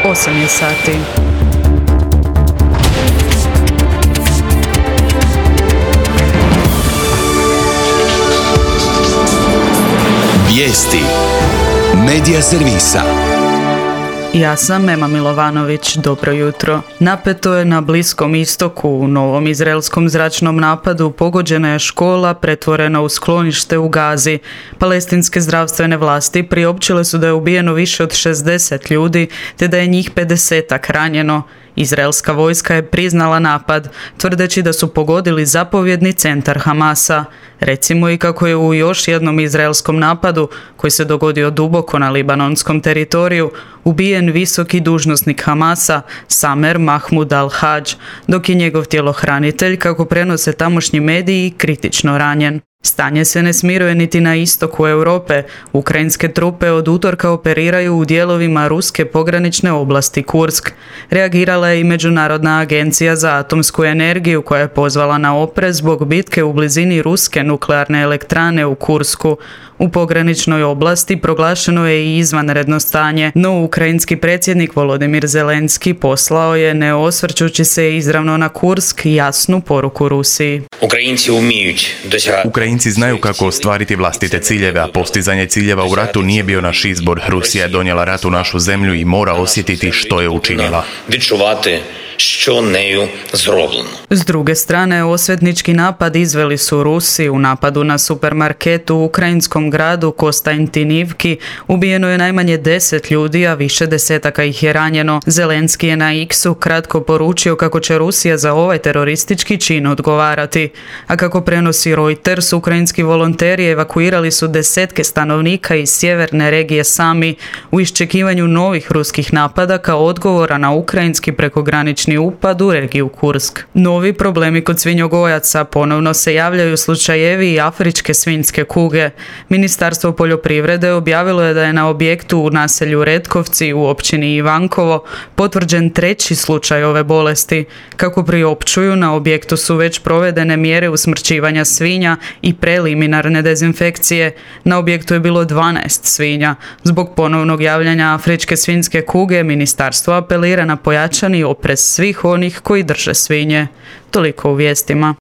8 je sati. Vijesti Medija servisa. Ja sam Ema Milovanović, dobro jutro. Napeto je na Bliskom istoku. U novom izraelskom zračnom napadu pogođena je škola pretvorena u sklonište u Gazi. Palestinske zdravstvene vlasti priopćile su da je ubijeno više od 60 ljudi, te da je njih 50-ak ranjeno. Izraelska vojska je priznala napad, tvrdeći da su pogodili zapovjedni centar Hamasa. Recimo i kako je u još jednom izraelskom napadu, koji se dogodio duboko na libanonskom teritoriju, ubijen visoki dužnosnik Hamasa, Samer Mahmud al-Hadž, dok je njegov tjelohranitelj, kako prenose tamošnji mediji, kritično ranjen. Stanje se ne smiruje niti na istoku Europe. Ukrajinske trupe od utorka operiraju u dijelovima ruske pogranične oblasti Kursk. Reagirala je i Međunarodna agencija za atomsku energiju koja je pozvala na oprez zbog bitke u blizini ruske nuklearne elektrane u Kursku. U pograničnoj oblasti proglašeno je i izvanredno stanje, no ukrajinski predsjednik Volodimir Zelenski poslao je, ne osvrćući se izravno na Kursk, jasnu poruku Rusiji. Ukrajinci znaju kako ostvariti vlastite ciljeve, a postizanje ciljeva u ratu nije bio naš izbor. Rusija je donijela rat u našu zemlju i mora osjetiti što je učinila. S druge strane, osvetnički napad izveli su Rusi. U napadu na supermarket u ukrajinskom gradu Kostantinivki ubijeno je najmanje 10 ljudi, a više desetaka ih je ranjeno. Zelenski je na X-u kratko poručio kako će Rusija za ovaj teroristički čin odgovarati. A kako prenosi Reuters, ukrajinski volonteri evakuirali su desetke stanovnika iz sjeverne regije Sami u iščekivanju novih ruskih napada kao odgovora na ukrajinski prekogranični upad u regiju Kursk. Novi problemi kod svinjogojaca. Ponovno se javljaju slučajevi afričke svinjske kuge. Ministarstvo poljoprivrede objavilo je da je na objektu u naselju Retkovci u općini Ivankovo potvrđen 3. slučaj ove bolesti. Kako priopćuju, na objektu su već provedene mjere usmrćivanja svinja i preliminarne dezinfekcije. Na objektu je bilo 12 svinja. Zbog ponovnog javljanja afričke svinjske kuge, ministarstvo apelira na pojačani oprez svih onih koji drže svinje. Toliko u vijestima.